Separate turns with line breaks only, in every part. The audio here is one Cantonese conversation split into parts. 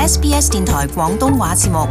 SBS 電台廣東話節目。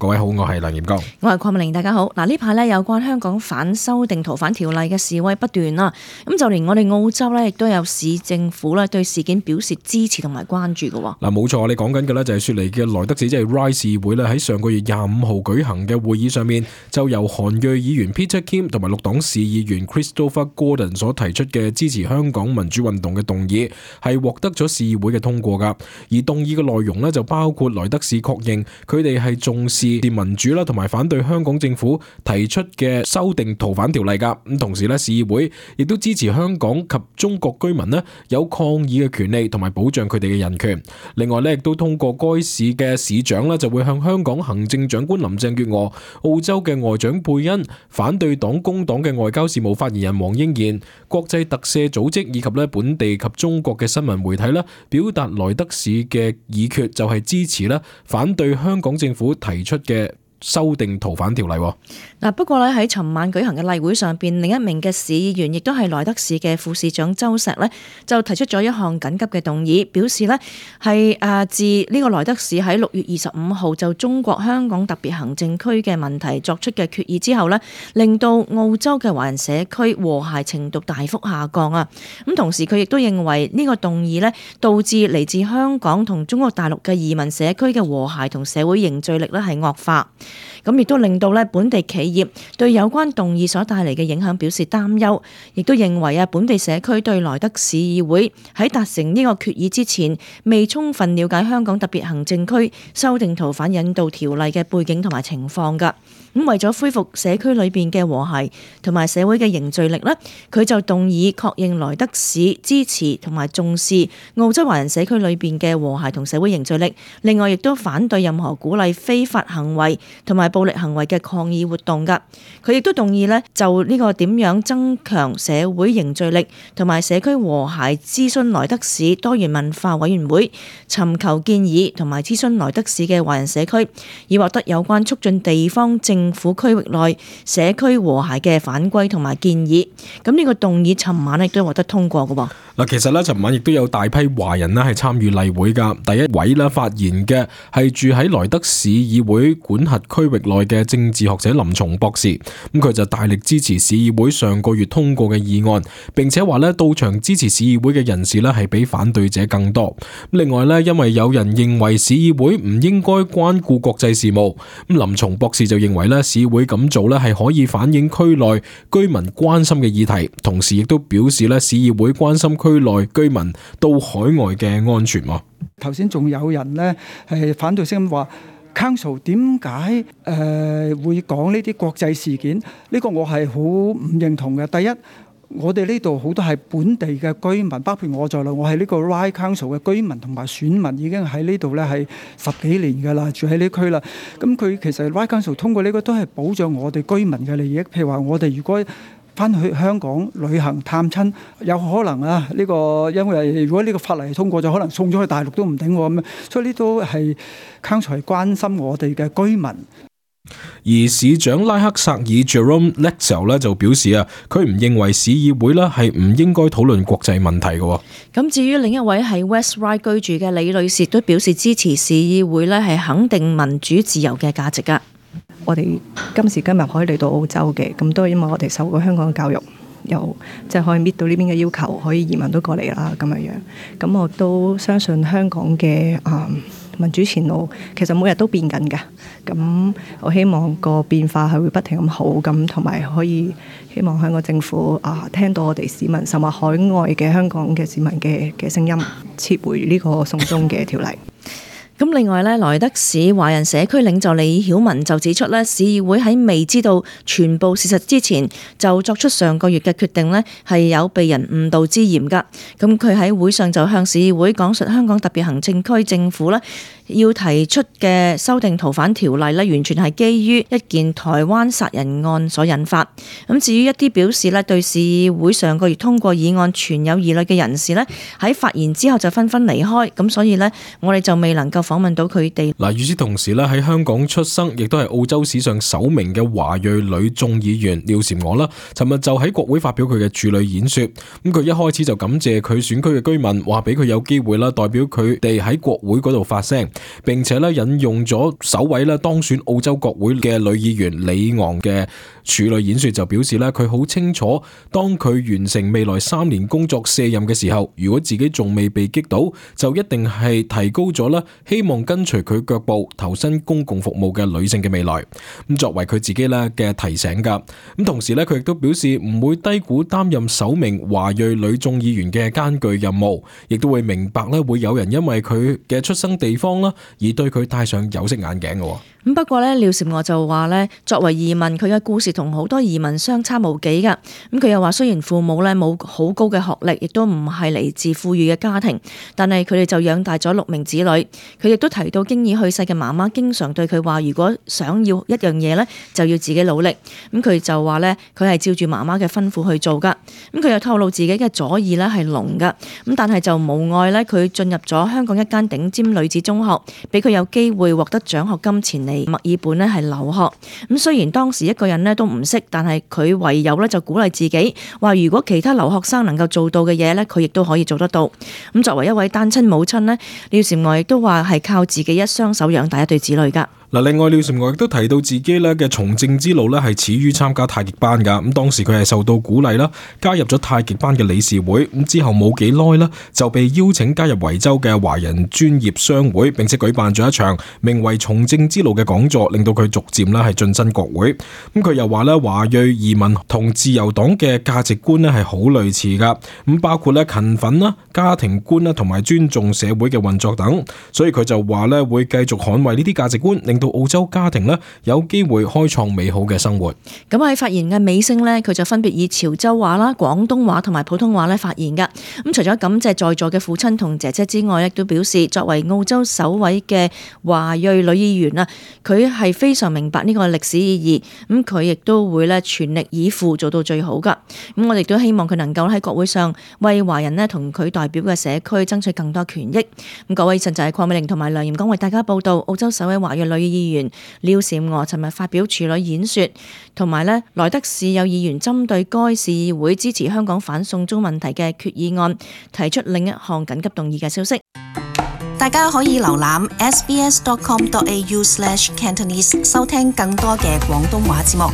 各位好，我係梁炎剛，
我係鄺美玲，大家好。嗱，呢排咧有關香港反修訂逃犯條例嘅示威不斷啦，咁就連我哋澳洲咧亦都有市政府咧對事件表示支持同埋關注嘅。
嗱，冇錯，你講緊嘅咧就係雪梨嘅萊德市，即係 Ryde 市議會咧喺上個月25號舉行嘅會議上面，就由韓裔議員 Peter Kim 同埋綠黨市議員 Christopher Gordon 所提出嘅支持香港民主運動嘅動議，係獲得咗市議會嘅通過噶。而動議嘅內容咧就包括萊德市確認佢哋係重視民主啦，同埋反對香港政府提出嘅修訂逃犯條例噶。咁同時咧，市議會亦都支持香港及中國居民咧有抗議嘅權利，同埋保障佢哋嘅人權。另外咧，亦都通過該市嘅市長咧就會向香港行政長官林鄭月娥、澳洲嘅外長貝恩、反對黨工黨嘅外交事務發言人黃英賢、國際特赦組織以及咧本地及中國嘅新聞媒體咧表達萊德市嘅議決，就係支持咧反對香港政府提出嘅修訂逃犯條例。
嗱，不過咧喺尋晚舉行嘅例會上邊，另一名嘅市議員亦都係萊德市嘅副市長周石咧，就提出咗一項緊急嘅動議，表示咧係自呢個萊德市喺6月25號就中國香港特別行政區嘅問題作出嘅決議之後咧，令到澳洲嘅華人社區和諧程度大幅下降啊！咁同時佢亦都認為呢個動議咧導致嚟自香港同中國大陸嘅移民社區嘅和諧同社會凝聚力咧係惡化。咁亦都令到咧本地企業對有關動議所帶嚟嘅影響表示擔憂，亦都認為本地社區對萊德市議會喺達成呢個決議之前，未充分了解香港特別行政區修訂逃犯引渡條例嘅背景同埋情況㗎。咁為咗恢復社區裏邊嘅和諧同埋社會嘅凝聚力呢，佢就動議確認萊德市支持同埋重視澳洲華人社區裏邊嘅和諧同社會凝聚力。另外亦都反對任何鼓勵非法行為同埋暴力行為嘅抗議活動㗎。佢亦都動議呢就呢個點樣增強社會凝聚力同埋社區和諧諮詢萊德市多元文化委員會，尋求建議同埋諮詢萊德市嘅華人社區，以獲得有關促進地方政府區域內社區和諧嘅反歸同埋建議。咁呢個動議尋晚亦都獲得通過嘅喎。
嗱，其實咧，尋晚亦都有大批華人咧係參與例會噶。第一位咧發言嘅係住喺萊德市議會管轄區域內嘅政治學者林松博士。咁佢就大力支持市議會上個月通過嘅議案，並且話咧到場支持市議會嘅人士咧係比反對者更多。另外咧，因為有人認為市議會唔應該關顧國際事務，咁林松博士就認為咧市議會咁做咧係可以反映區內居民關心嘅議題，同時亦都表示咧市議會關心區內居民到海外嘅安全。
頭先仲有人咧係反對聲音話 Council 點解會講呢啲國際事件？呢個我係好唔認同嘅。第一，我哋呢度好多係本地嘅居民，包括我在內，我係呢個 Ryde Council 嘅居民同埋選民，已經喺呢度咧係10幾年㗎啦，住喺呢區啦。咁佢其實 Ryde Council 通過呢個都係保障我哋居民嘅利益。譬如話，我哋如果翻去香港旅行探親，有可能啊呢個因為如果呢個法例通過咗，可能送咗去大陸都唔定咁樣，所以呢都係 Council 係關心我哋嘅居民。
而市長拉克薩爾 Jerome Lexell 咧就表示啊，佢唔認為市議會咧係唔應該討論國際問題嘅。
咁至於另一位喺 West Ryde 居住嘅李女士都表示支持市議會咧係肯定民主自由嘅價值噶。
我哋今時今日可以嚟到澳洲嘅，咁都係因為我哋受過香港嘅教育，又即係可以搣到呢邊嘅要求，可以移民到過嚟啦咁樣。咁我都相信香港嘅民主前路其實每日都變緊嘅。咁我希望個變化係會不停咁好，咁同埋可以希望香港政府聽到我哋市民，甚至海外嘅香港嘅市民嘅聲音，撤回呢個送中嘅條例。
咁另外咧，萊德市華人社區領袖李曉文就指出咧，市議會喺未知道全部事實之前，就作出上個月嘅決定咧，係有被人誤導之嫌噶。咁佢喺會上就向市議會講述香港特別行政區政府咧要提出嘅修訂逃犯條例咧，完全係基於一件台灣殺人案所引發。咁至於一啲表示咧對市議會上個月通過議案存有疑慮嘅人士咧，喺發言之後就紛紛離開。咁所以咧，我哋就未能夠訪問到佢哋。
嗱，與此同時咧，喺香港出生，亦都係澳洲史上首名嘅華裔女眾議員廖嬋娥啦，尋日就喺國會發表佢嘅處女演說。咁佢一開始就感謝佢選區嘅居民，話俾佢有機會啦，代表佢哋喺國會嗰度發聲，並且咧引用咗首位咧當選澳洲國會嘅女議員李昂嘅處女演說，就表示咧佢好清楚，當佢完成未來3年工作卸任嘅時候，如果自己仲未被擊倒，就一定係提高咗啦，希望跟隨佢腳步投身公共服務嘅女性嘅未來。咁作為佢自己咧嘅提醒噶。咁同時咧，佢亦都表示唔會低估擔任首名華裔女眾議員嘅艱巨任務，亦都會明白咧會有人因為佢嘅出生地方啦而對佢戴上有色眼鏡嘅。
咁不過咧，廖嬋娥就話咧，作為移民，佢嘅故事同好多移民相差無幾噶。咁佢又話，雖然父母咧冇好高嘅學歷，亦都唔係嚟自富裕嘅家庭，但係佢哋就養大咗6名子女。佢亦都提到經已去世嘅媽媽經常對佢話，如果想要一樣嘢咧，就要自己努力。咁佢就話咧，佢係照住媽媽嘅吩咐去做噶。咁佢又透露自己嘅左耳咧係聾噶。咁但係就無礙咧，佢進入咗香港一間頂尖女子中學，俾佢有機會獲得獎學金前嚟墨爾本咧係留學。咁雖然當時一個人咧都唔識，但係佢唯有咧就鼓勵自己，話如果其他留學生能夠做到嘅嘢咧，佢亦都可以做得到。咁作為一位單親母親咧，廖嬋娥亦都話係靠自己一雙手養大一對子女噶。
嗱，另外廖嬋娥亦都提到自己咧嘅從政之路咧係始於參加太極班噶。咁當時佢係受到鼓勵啦，加入咗太極班嘅理事會。咁之後冇幾耐啦，就被邀請加入維州嘅華人專業商會，並且舉辦咗一場名為《從政之路》嘅講座，令到佢逐漸咧係晉身國會。咁佢又話咧，華裔移民同自由黨嘅價值觀咧係好類似噶。咁包括咧勤奮啦、家庭觀啦同埋尊重社會嘅運作等。所以佢就話咧會繼續捍衛呢啲價值觀，令到澳洲家庭咧有機會開創美好嘅生活。
咁喺發言嘅尾聲咧，佢就分別以潮州話啦、廣東話同埋普通話咧發言噶。咁除咗感謝在座嘅父親同姐姐之外，亦都表示作為澳洲首位嘅華裔女議員啊，佢係非常明白呢個歷史意義。咁佢亦都會咧全力以赴做到最好噶。咁我哋都希望佢能夠喺國會上為華人咧同佢代表嘅社區爭取更多權益。咁各位，以上就係鄺美玲同埋梁艷剛為大家報道澳洲首位華裔女議員廖嬋娥尋日發表處女演說，同埋咧萊德市有議員針對該市議會支持香港反送中問題嘅決議案提出另一項緊急動議嘅消息。
大家可以瀏覽 sbs.com.au/Cantonese 收聽更多嘅廣東話節目。